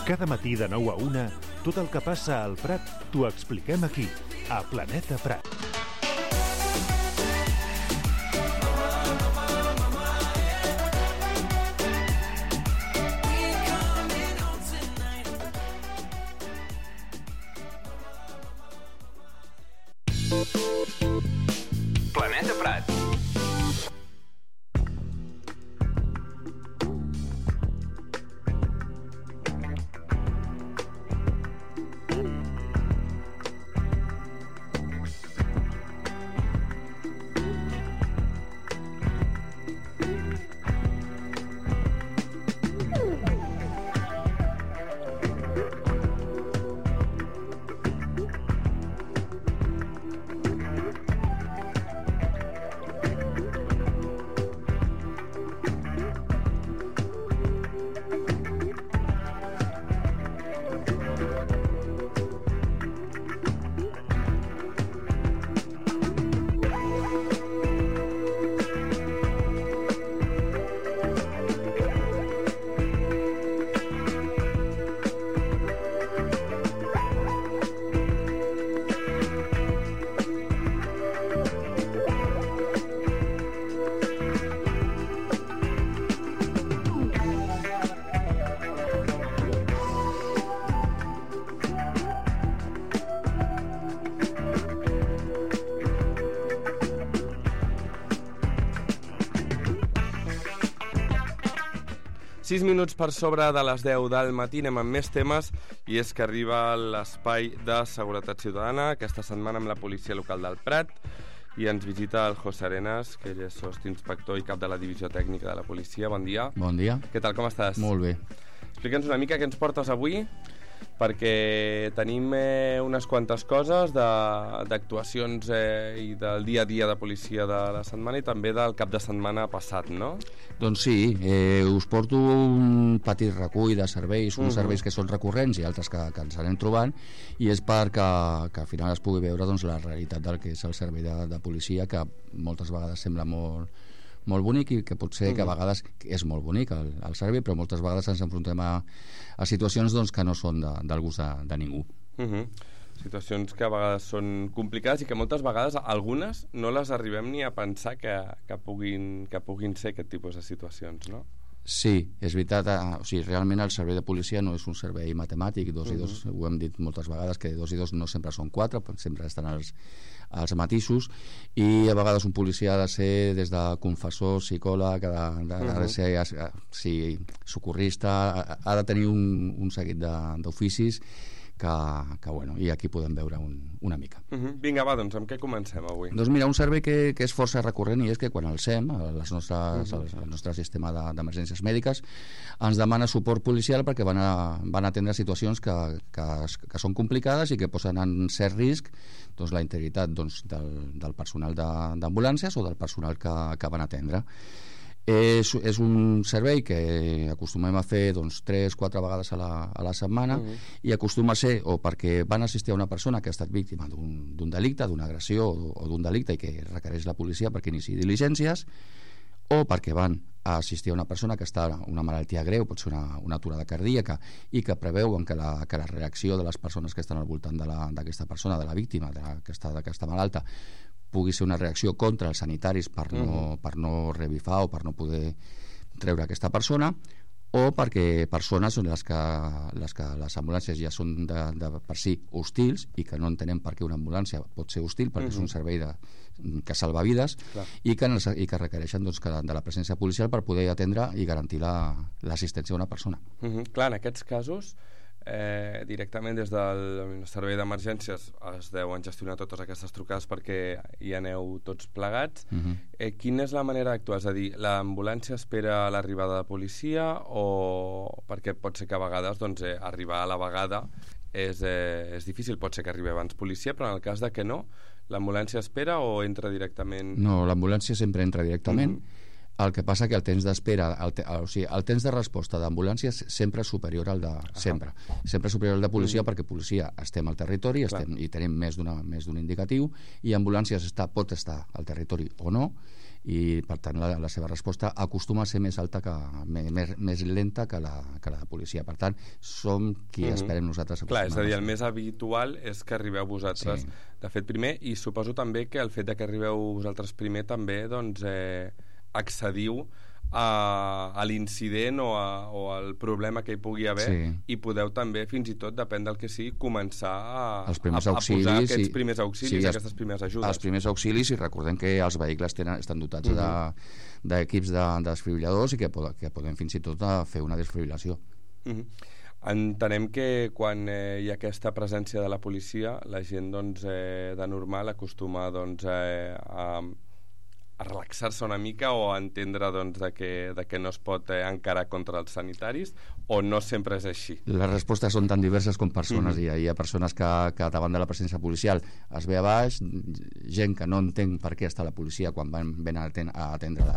Cada matí de 9 a 1, tot el que passa al Prat t'ho expliquem aquí, a Planeta Prat. Planeta Prat. Sis minuts per sobre de les 10 del matí, anem amb més temes, i és que arriba l'espai de seguretat ciutadana aquesta setmana amb la policia local del Prat, i ens visita el José Arenas, que ell és sostinspector i cap de la divisió tècnica de la policia. Bon dia. Bon dia. Què tal, com estàs? Molt bé. Explica'ns una mica què ens portes avui, perquè tenim unes quantes coses d'actuacions i del dia a dia de policia de la setmana i també del cap de setmana passat, no? Doncs sí, us porto un petit recull de serveis, uns serveis que són recurrents i altres que ens anem trobant, i és perquè al final es pugui veure doncs, la realitat del que és el servei de policia, que moltes vegades sembla molt bonic i que potser que a vegades és molt bonic el servei, però moltes vegades ens enfrontem a situacions doncs, que no són del gust de ningú. Situacions que a vegades són complicades i que moltes vegades algunes no les arribem ni a pensar que puguin ser aquest tipus de situacions, no? Sí, és veritat, o sigui, realment el servei de policia no és un servei matemàtic, 2 i 2, ho hem dit moltes vegades, que 2 i 2 no sempre són 4, sempre estan els matisos, i a vegades un policia ha de ser des de confessor, psicòleg, ha de ser socorrista, ha de tenir un seguit d'oficis que bueno, i aquí podem veure una mica. Vinga, va, doncs amb què comencem avui? Doncs mira, un servei que és força recurrent, i és que quan el SEM, el nostre sistema d'emergències mèdiques, ens demana suport policial perquè van atendre situacions que són complicades i que posen en cert risc doncs, la integritat doncs, del personal d'ambulàncies o del personal que van atendre. És un servei que acostumem a fer doncs, 3-4 vegades a la setmana, i acostuma a ser o perquè van assistir a una persona que ha estat víctima d'un delicte, d'una agressió o d'un delicte i que requereix la policia perquè iniciï diligències, o perquè van a assistir a una persona que està amb una malaltia greu, pot ser una aturada cardíaca, i que preveuen que la reacció de les persones que estan al voltant d'aquesta persona, de la víctima, que està malalta, pugui ser una reacció contra els sanitaris per no revifar o per no poder treure aquesta persona, o perquè persones són les que les ambulàncies ja són de per si hostils i que no entenem per què una ambulància pot ser hostil, perquè és un servei que salva vides, i que requereixen doncs, de la presència policial per poder atendre i garantir l'assistència a una persona. Clar, en aquests casos directament des del servei d'emergències es deuen gestionar totes aquestes trucades perquè hi aneu tots plegats. Quina és la manera d'actuar? És a dir, l'ambulància espera l'arribada de policia, o perquè pot ser que a vegades doncs, arribar a la vegada és difícil, pot ser que arribi abans policia, però en el cas de que no, l'ambulància espera o entra directament? No, l'ambulància sempre entra directament. El que passa que el temps d'espera, o sigui, el temps de resposta d'ambulàncies sempre és superior al de... Sempre superior al de policia, perquè policia estem al territori i tenim més d'un indicatiu, i ambulàncies pot estar al territori o no, i per tant la seva resposta acostuma a ser més alta, més lenta que la de policia. Per tant, som qui esperem nosaltres. Clar, és a dir, el més habitual és que arribeu vosaltres de fet primer, i suposo també que el fet de que arribeu vosaltres primer també doncs accediu a l'incident o al problema que hi pugui haver, i podeu també, fins i tot, depèn del que sigui, començar a posar aquests primers auxilis, aquestes primeres ajudes. Els primers auxilis, i recordem que els vehicles estan dotats d'equips de desfibril·ladors i que podem fins i tot fer una desfibrilació. Entenem que quan hi ha aquesta presència de la policia, la gent doncs, de normal acostuma doncs, a relaxar-se una mica o a entendre doncs, de que no es pot encarar contra els sanitaris, o no sempre és així? Les respostes són tan diverses com persones. Hi ha persones que davant de la presència policial es ve a baix, gent que no entén per què està la policia quan ven a atendre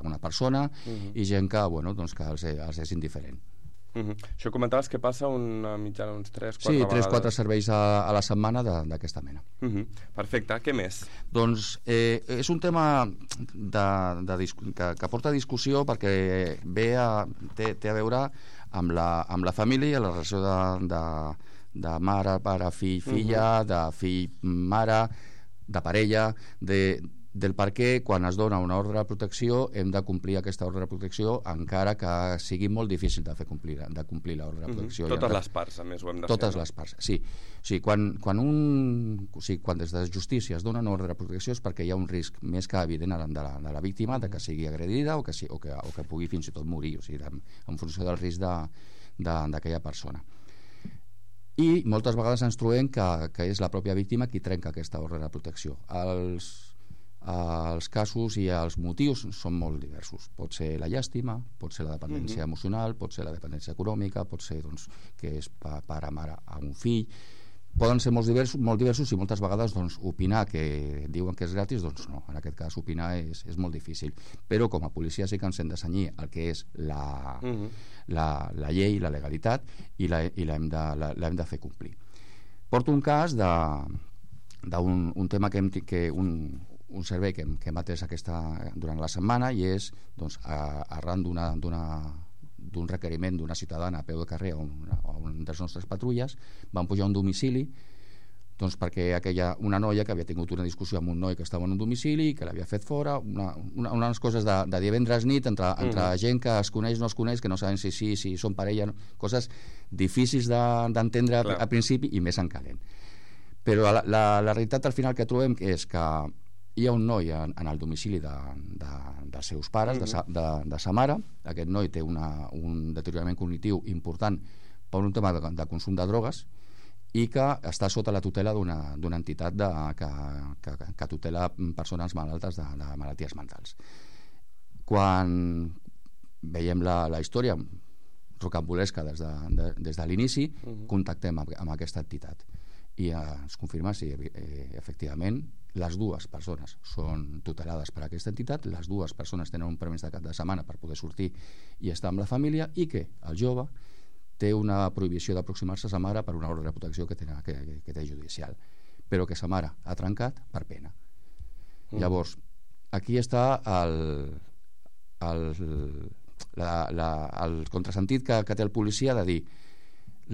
una persona, i gent que, doncs, que els és indiferent. Això comentaves que passa una mitjana uns 3-4 vegades. Sí, 3-4 serveis a la setmana d'aquesta mena. Perfecte, què més? Doncs és un tema que porta a discussió perquè té a veure amb la família, la relació de mare, pare, fill, filla, de fill, mare, de parella, del per què quan es dona una ordre de protecció hem de complir aquesta ordre de protecció, encara que sigui molt difícil de complir l'ordre de protecció. Totes les parts, a més, ho hem de fer. Totes les parts, sí. O sigui, quan des de justícia es dona una ordre de protecció és perquè hi ha un risc més que evident de la víctima, de que sigui agredida o que pugui fins i tot morir, o sigui, en funció del risc d'aquella persona. I moltes vegades ens trobem que és la pròpia víctima qui trenca aquesta ordre de protecció. Els casos i els motius són molt diversos. Pot ser la llàstima, pot ser la dependència emocional, pot ser la dependència econòmica, pot ser que és pare, mare a un fill. Poden ser molt diversos i moltes vegades opinar que diuen que és gratis, doncs no, en aquest cas opinar és molt difícil. Però com a policia sí que ens hem de cenyir el que és la llei, la legalitat, i l'hem de fer complir. Porto un cas d'un tema que un servei que hem atès durant la setmana, i és arran d'un requeriment d'una ciutadana a peu de carrer a una de les nostres patrulles, van pujar a un domicili perquè una noia que havia tingut una discussió amb un noi que estava en un domicili i que l'havia fet fora, unes coses de divendres nit entre gent que es coneix, no es coneix, que no saben si són parella, coses difícils d'entendre a principi i més en calent. Però la realitat al final que trobem és que hi ha un noi en el domicili dels seus pares, de sa mare. Aquest noi té un deteriorament cognitiu important per un tema de consum de drogues i que està sota la tutela d'una entitat que tutela persones malaltes de malalties mentals. Quan veiem la història rocambolesca des de l'inici, contactem amb aquesta entitat i ens confirma si efectivament les dues persones són tutelades per aquesta entitat, les dues persones tenen un permís de cap de setmana per poder sortir i estar amb la família, i que el jove té una prohibició d'aproximar-se a sa mare per una ordre de protecció que té judicial, però que sa mare ha trencat per pena. Llavors, aquí està el contrasentit que té el policia de dir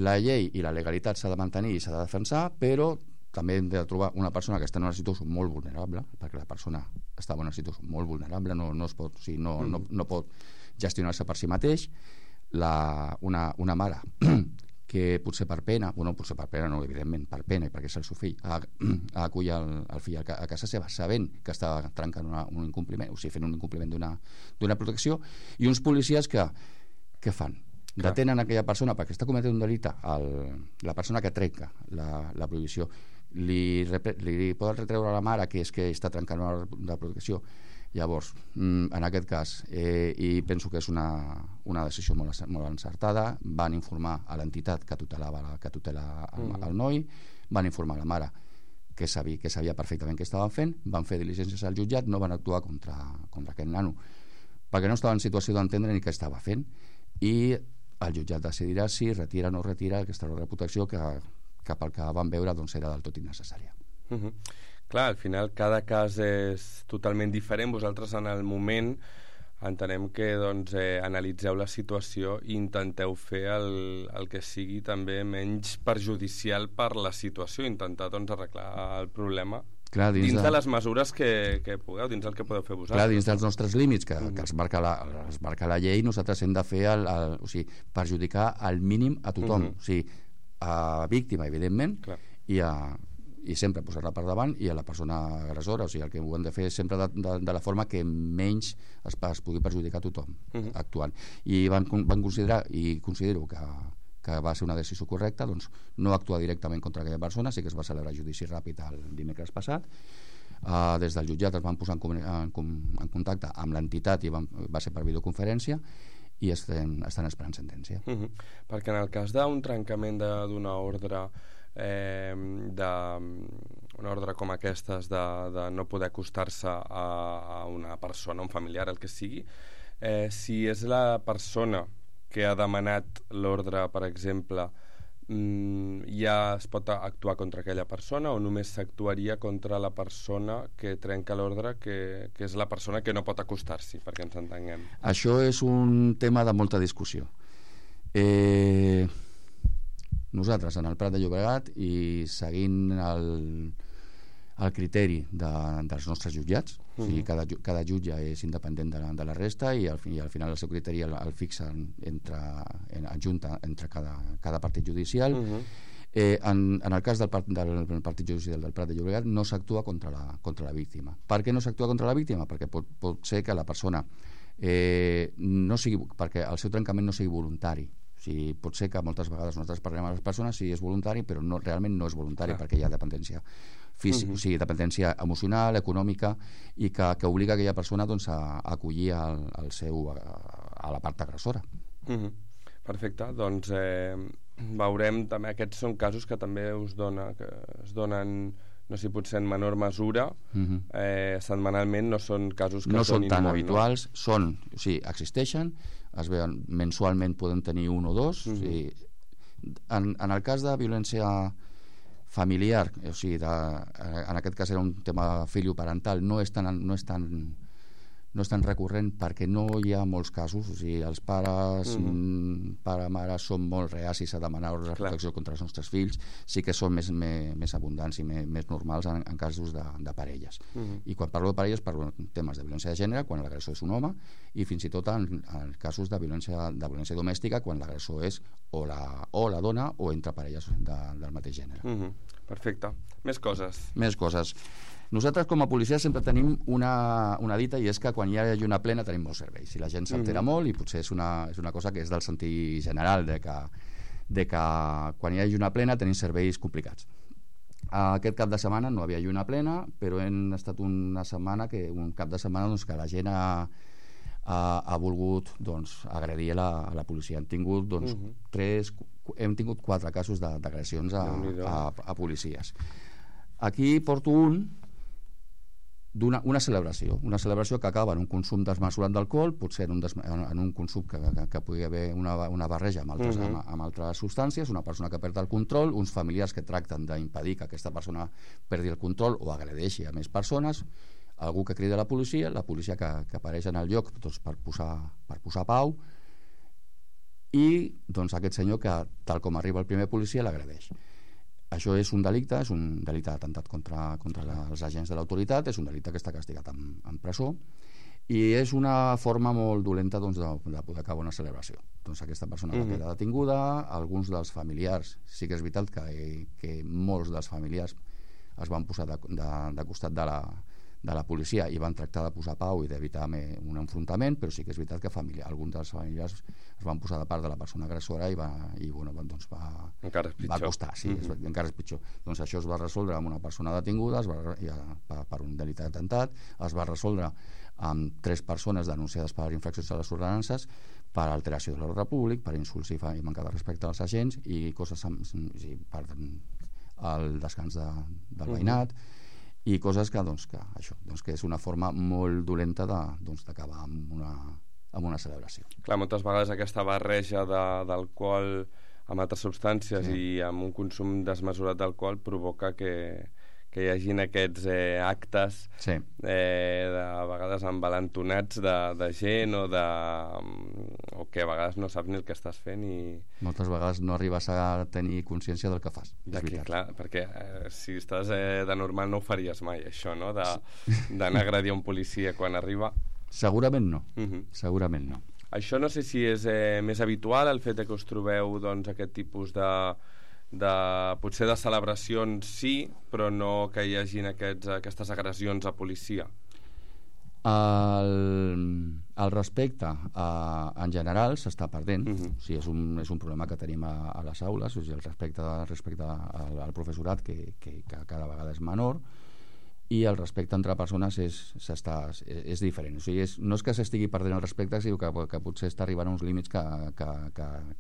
la llei i la legalitat s'ha de mantenir i s'ha de defensar, però també hem de trobar una persona que està en una situació molt vulnerable, perquè la persona estava en una situació molt vulnerable, no pot gestionar-se per si mateix. Una mare que potser per pena, evidentment per pena i perquè és el seu fill, acull el fill a casa seva sabent que està trencant un incompliment, o sigui, fent un incompliment d'una protecció, i uns policies que fan? Detenen aquella persona perquè està cometent un delicte, la persona que trenca la prohibició li poden retreure a la mare que és que està trencant una protecció. Llavors, en aquest cas, i penso que és una decisió molt encertada, van informar a l'entitat que tutela el noi, van informar a la mare que sabia perfectament què estaven fent, van fer diligències al jutjat, no van actuar contra aquest nano perquè no estava en situació d'entendre ni què estava fent, i el jutjat decidirà si retira o no retira aquesta ordre de protecció que pel que van veure doncs era del tot innecessària. Clar, al final cada cas és totalment diferent. Vosaltres en el moment entenem que doncs, analitzeu la situació i intenteu fer el que sigui també menys perjudicial per la situació, intentar doncs, arreglar el problema. Clar, dins de les mesures que pugueu, dins del que podeu fer vosaltres. Clar, dins dels nostres límits que es marca la llei, nosaltres hem de fer o sigui, perjudicar al mínim a tothom, o sigui, a víctima, evidentment, i sempre posar-la per davant, i a la persona agressora, o sigui, el que ho hem de fer sempre de la forma que menys es pugui perjudicar a tothom actuant. I van considerar, i considero que va ser una decisió correcta, doncs no actuar directament contra aquella persona. Sí que es va celebrar judici ràpid el dimecres passat. Des del jutjat es van posar en contacte amb l'entitat i va ser per videoconferència, i estan esperant sentència. Perquè en el cas d'un trencament d'una ordre, una ordre com aquestes de no poder acostar-se a una persona, un familiar, el que sigui, si és la persona que ha demanat l'ordre, per exemple, ja es pot actuar contra aquella persona, o només s'actuaria contra la persona que trenca l'ordre, que és la persona que no pot acostar-s'hi, perquè ens entenguem? Això és un tema de molta discussió. Nosaltres, en el Prat de Llobregat, i seguint el criteri dels nostres jutjats, o sigui, cada jutge és independent de la resta, i al final el seu criteri el fixen adjunta entre cada partit judicial. En el cas del partit judicial del Prat de Llobregat no s'actua contra la víctima. Per què no s'actua contra la víctima? Perquè pot ser que la persona perquè el seu trencament no sigui voluntari. O sigui, pot ser que moltes vegades nosaltres parlem a les persones si és voluntari, però realment no és voluntari, perquè hi ha dependència física, o sigui, dependència emocional, econòmica, i que obliga aquella persona doncs, a acollir a la part agressora. Perfecte, doncs veurem també, aquests són casos que també es donen, no sé si potser en menor mesura, setmanalment, no són casos que no són tan molt, habituals, o sigui, existeixen, es veuen mensualment, poden tenir un o dos. O sigui, en el cas de violència familiar, o sigui, en aquest cas era un tema filioparental, no és tan recurrent perquè no hi ha molts casos. O sigui, els pares, pare-mare, són molt reacis a demanar ordres de protecció contra els nostres fills. Sí que són més abundants i més normals en casos de parelles. I quan parlo de parelles parlo de temes de violència de gènere, quan l'agressor és un home, i fins i tot en casos de violència domèstica, quan l'agressor és o la dona o entre parelles del mateix gènere. Perfecte. Més coses. Nosaltres com a policia sempre tenim una dita, i és que quan hi ha lluna plena tenim molts serveis, i la gent s'altera molt, i potser és una cosa que és del sentit general de que quan hi ha lluna plena tenim serveis complicats. Aquest cap de setmana no havia lluna plena, però hem estat un cap de setmana doncs, que la gent ha volgut agredir a la policia. Hem tingut 4 casos d'agressions a policies. Aquí porto una celebració que acaba en un consum desmesurat d'alcohol, potser en un consum que pugui haver una barreja amb altres substàncies, una persona que perd el control, uns familiars que tracten d'impedir que aquesta persona perdi el control o agredeixi a més persones, algú que crida a la policia que apareix en el lloc per posar pau, i aquest senyor que, tal com arriba el primer policia, l'agredeix. Això és un delicte d'atemptat contra els agents de l'autoritat, és un delicte que està castigat amb presó, i és una forma molt dolenta de poder acabar una celebració. Aquesta persona va quedar detinguda. Alguns dels familiars, sí que és veritat que molts dels familiars es van posar de costat de la policia i van tractar de posar pau i d'evitar un enfrontament, però sí que és veritat que alguns dels familiars es van posar de part de la persona agressora i va costar. Encara és pitjor. Doncs això es va resoldre amb una persona detinguda per un delicte d'atemptat, es va resoldre amb 3 persones denunciades per infraccions a les ordenances, per alteració de l'ordre públic, per insults i manca de respecte als agents i coses per el descans del veïnat. i coses que és una forma molt dolenta d'acabar amb una celebració. Clar, moltes vegades aquesta barreja d'alcohol amb altres substàncies i amb un consum desmesurat d'alcohol provoca que hi hagin aquests actes a vegades envalentonats de gent o que a vegades no saps ni el que estàs fent i... Moltes vegades no arribes a tenir consciència del que fas. Clar, perquè si estàs de normal no ho faries mai, això, no? D'anar a agredir un policia quan arriba. Segurament no, segurament no. Això no sé si és més habitual, el fet que us trobeu aquest tipus potser de celebracions sí, però no que hi hagin aquestes agressions a policia. El respecte en general s'està perdent. O sigui, és un problema que tenim a les aules, o sigui, el respecte al professorat que cada vegada és menor, i el respecte entre persones és diferent. O sigui, no és que s'estigui perdent el respecte, sinó que potser està arribant a uns límits que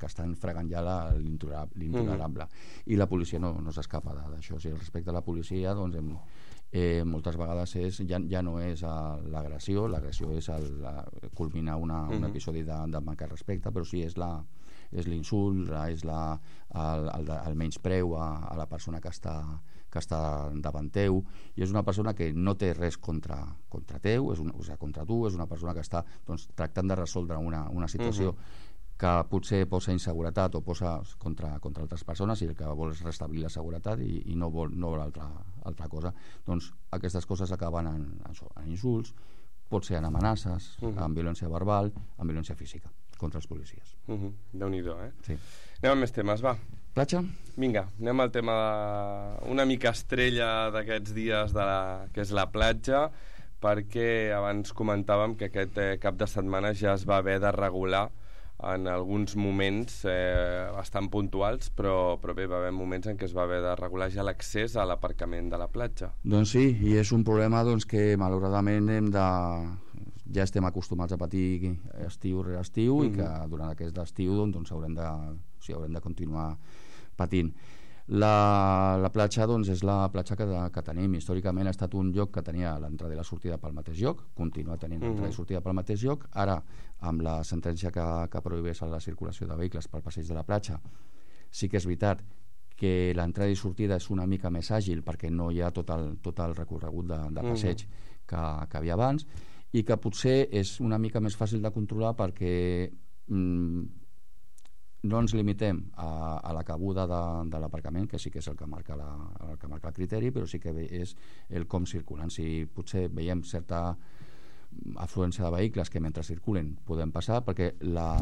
estan fregant ja l'intolerable. I la policia no s'escapa d'això. O sigui, el respecte a la policia, doncs, moltes vegades ja no és l'agressió és culminar un episodi de manca de respecte, però sí és l'insult, és el menyspreu a la persona que està davant teu, i és una persona que no té res contra teu, contra tu, és una persona que està tractant de resoldre una situació que potser posa inseguretat o posa contra altres persones, i el que vol és restablir la seguretat i no vol altra cosa. Doncs aquestes coses acaben en insults, pot ser en amenaces, en violència verbal, en violència física contra els policies. Déu-n'hi-do, Sí. Anem amb més temes, va. Platja? Vinga, anem al tema una mica estrella d'aquests dies que és la platja, perquè abans comentàvem que aquest cap de setmana ja es va haver de regular en alguns moments bastant puntuals, però bé, va haver moments en què es va haver de regular ja l'accés a l'aparcament de la platja. Doncs sí, i és un problema que malauradament ja estem acostumats a patir estiu rere estiu, i que durant aquest estiu haurem de continuar patint. La platja és la platja que tenim. Històricament ha estat un lloc que tenia l'entrada i la sortida pel mateix lloc, continua tenint l'entrada i sortida pel mateix lloc. Ara, amb la sentència que prohibeix la circulació de vehicles pel passeig de la platja, sí que és veritat que l'entrada i sortida és una mica més àgil, perquè no hi ha tot el recorregut de passeig que havia abans, i que potser és una mica més fàcil de controlar perquè no ens limitem a la cabuda de l'aparcament, que sí que és el que marca el criteri, però sí que és el com circulen. Si potser veiem certa afluència de vehicles que mentre circulen podem passar, perquè la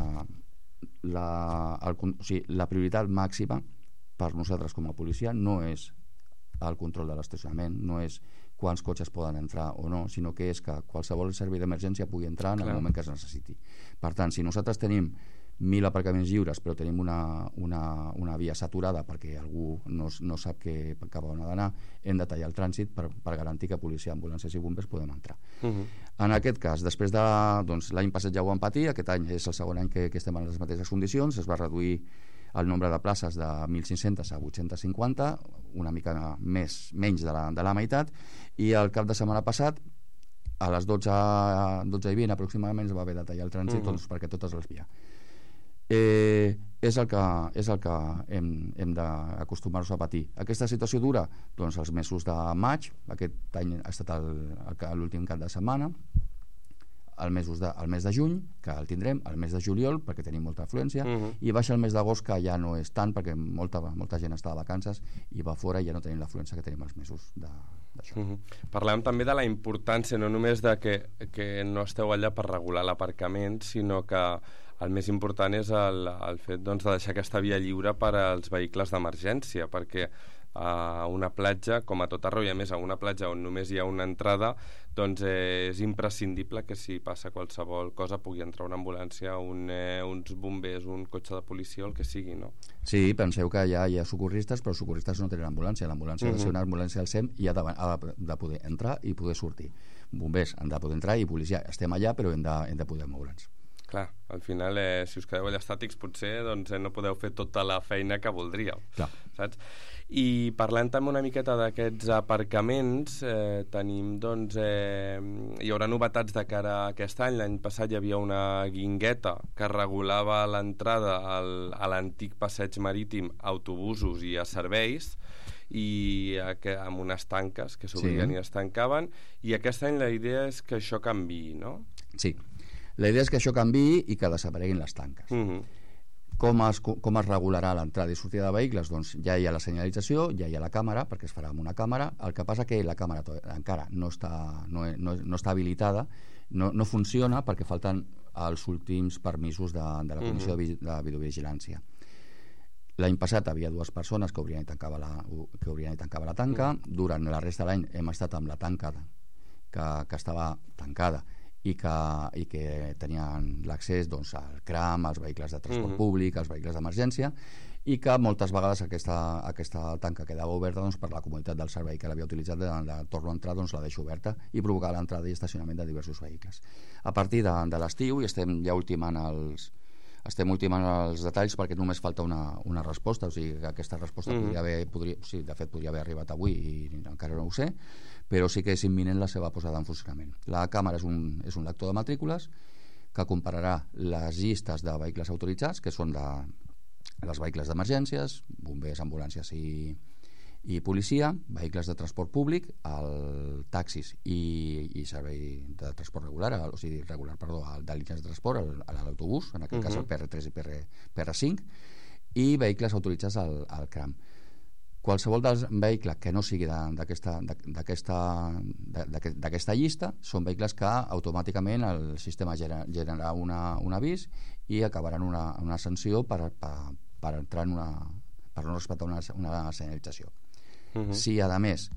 prioritat màxima per nosaltres com a policia no és el control de l'estacionament, no és quants cotxes poden entrar o no, sinó que és que qualsevol servei d'emergència pugui entrar en el moment que es necessiti. Per tant, si nosaltres tenim 1.000 aparcaments lliures però tenim una via saturada perquè algú no sap cap on ha d'anar, hem de tallar el trànsit per garantir que policia, ambulàncies i bombers podem entrar. En aquest cas, després l'any passat ja ho vam patir, aquest any és el segon any que estem en les mateixes condicions, es va reduir el nombre de places de 1.500 a 850, una mica menys de la meitat, i el cap de setmana passat a les 12:20 aproximadament es va haver de tallar el trànsit perquè totes les via. És el que hem d'acostumar-nos a patir. Aquesta situació dura els mesos de maig, aquest any ha estat l'últim cap de setmana, el mes de juny, que el tindrem, el mes de juliol, perquè tenim molta afluència, i baixa el mes d'agost, que ja no és tant, perquè molta gent està de vacances i va fora, i ja no tenim l'afluència que tenim els mesos d'això. Parlem també de la importància, no només de que no esteu allà per regular l'aparcament, sinó que el més important és el fet de deixar aquesta via lliure per als vehicles d'emergència, perquè a una platja, com a tot arreu, i a més a una platja on només hi ha una entrada, doncs és imprescindible que si passa qualsevol cosa pugui entrar una ambulància, uns bombers, un cotxe de policia o el que sigui, no? Sí, penseu que ja hi ha socorristes, però els socorristes no tenen ambulància. L'ambulància ha de ser una ambulància del SEM i ha de poder entrar i poder sortir. Bombers han de poder entrar i policia estem allà, però hem de poder moure'ns. Clar, al final, si us quedeu allà estàtics, potser doncs, no podeu fer tota la feina que voldríeu. Clar. Saps? I parlant també una miqueta d'aquests aparcaments, tenim, doncs, hi haurà novetats de cara a aquest any. L'any passat hi havia una guingueta que regulava l'entrada a l'antic passeig marítim, autobusos i a serveis, i amb unes tanques que s'obrien i es tancaven, i aquest any la idea és que això canviï, no? Sí, la idea és que això canviï i que desapareguin les tanques. Com es regularà l'entrada i sortida de vehicles? Doncs ja hi ha la senyalització, ja hi ha la càmera, perquè es farà amb una càmera. El que passa que la càmera encara no està habilitada, no funciona perquè falten els últims permisos de la Comissió de Videovigilància. L'any passat havia 2 persones que obrien i tancava la tanca. Durant la resta de l'any hem estat amb la tanca que estava tancada i que tenien l'accés al CRAM, als vehicles de transport públic, als vehicles d'emergència, i que moltes vegades aquesta tanca quedava oberta per la comoditat del servei que l'havia utilitzat, torno a entrar, la deixo oberta i provocar l'entrada i estacionament de diversos vehicles. A partir de l'estiu, i estem ja ultimant els detalls perquè només falta una resposta, o sigui que aquesta resposta podria haver arribat avui i encara no ho sé, però sí que és imminent la seva posada en funcionament. La càmera és un lector de matrícules que compararà les llistes de vehicles autoritzats, que són els vehicles d'emergències, bombers, ambulàncies i policia, vehicles de transport públic, taxis i servei de transport regular, de línies de transport, l'autobús, en aquest cas el PR3 i PR5, i vehicles autoritzats al CRAM. Qualsevol vehicle que no sigui d'aquesta llista són vehicles que automàticament el sistema generarà un avís i acabaran una sanció per entrar per no respectar una senyalització. Si a més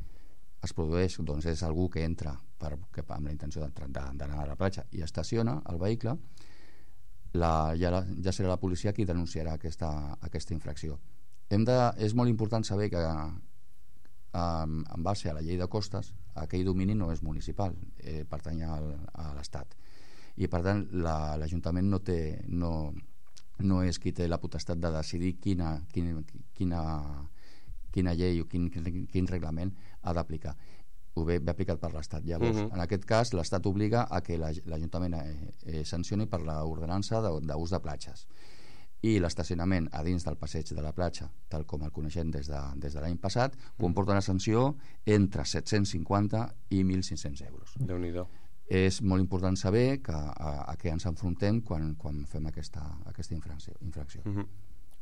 es produeix, és algú que entra amb la intenció d'anar a la platja i estaciona el vehicle, ja serà la policia qui denunciarà aquesta infracció. És molt important saber que en base a la llei de costes aquell domini no és municipal, pertany a l'Estat, i per tant l'Ajuntament no és qui té la potestat de decidir quina llei o quin reglament ha d'aplicar. Ho ve aplicat per l'Estat. Llavors, en aquest cas, l'Estat obliga a que l'Ajuntament sancioni per l'ordenança d'ús de platges. I l'estacionament a dins del passeig de la platja, tal com el coneixem des de l'any passat, comporta una sanció entre 750 i 1.500 euros. Déu-n'hi-do. És molt important saber a què ens enfrontem quan fem aquesta infracció.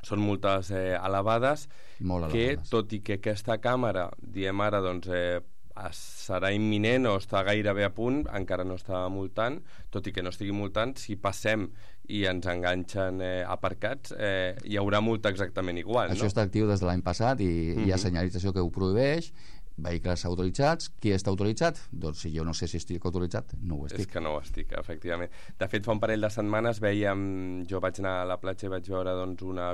Són multes elevades, molt elevades, que tot i que aquesta càmera, diem ara, serà imminent o està gairebé a punt, encara no està multant, tot i que no estigui multant, si passem i ens enganxen aparcats, hi haurà multa exactament igual. Això està actiu des de l'any passat i hi ha senyalització que ho prohibeix. Vehicles autoritzats, qui està autoritzat? Doncs si jo no sé si estic autoritzat, no ho estic. És que no ho estic, efectivament. De fet, fa un parell de setmanes jo vaig anar a la platja i vaig veure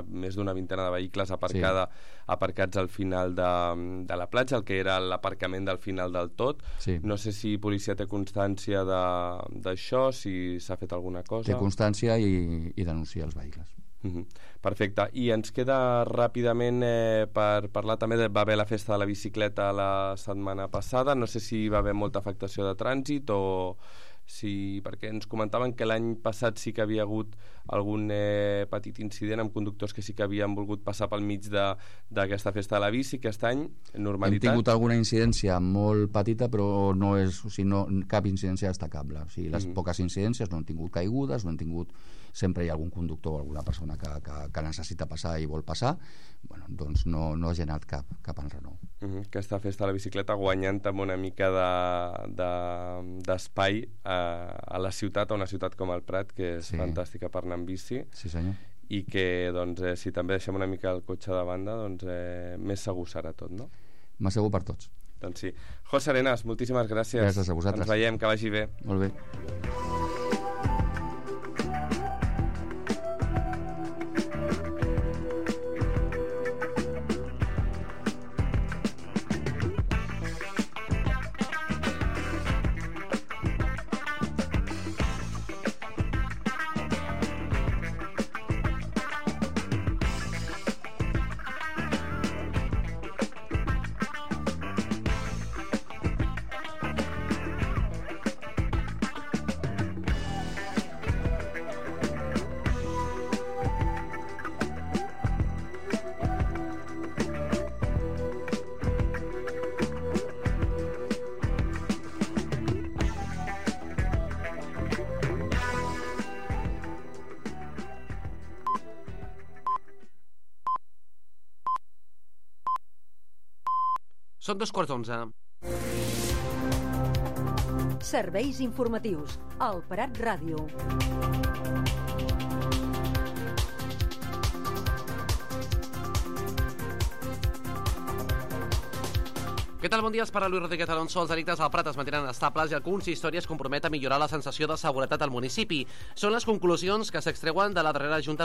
més d'una vintena de vehicles aparcats al final de la platja, el que era l'aparcament del final del tot. Sí. No sé si policia té constància d'això, si s'ha fet alguna cosa. Té constància i denuncia els vehicles. Perfecte, i ens queda ràpidament per parlar també va haver la festa de la bicicleta la setmana passada, no sé si va haver molta afectació de trànsit o si, perquè ens comentaven que l'any passat sí que havia hagut algun petit incident amb conductors que sí que havien volgut passar pel mig d'aquesta festa de la bici. Aquest any, normalitat? Hem tingut alguna incidència molt petita, però cap incidència destacable. Les poques incidències no han tingut caigudes, no han tingut... Sempre hi ha algun conductor o alguna persona que necessita passar i vol passar, doncs no ha generat cap enrenou. Aquesta festa de la bicicleta guanyant amb una mica d'espai a la ciutat, a una ciutat com el Prat, que és fantàstica per anar amb bici. Sí, senyor. I que, si també deixem una mica el cotxe de banda, més segur serà tot, no? Més segur per tots. Doncs sí. José Arenas, moltíssimes gràcies. Gràcies a vosaltres. Ens veiem, que vagi bé. Molt bé. Són 11:15. Serveis informatius. El Prat Ràdio. Què tal? Bon dia, es parla Lluís Rodríguez Alonso. Els delictes al Prat es mantenen estables i el consistori es compromet a millorar la sensació de seguretat al municipi. Són les conclusions que s'extreuen de la darrera junta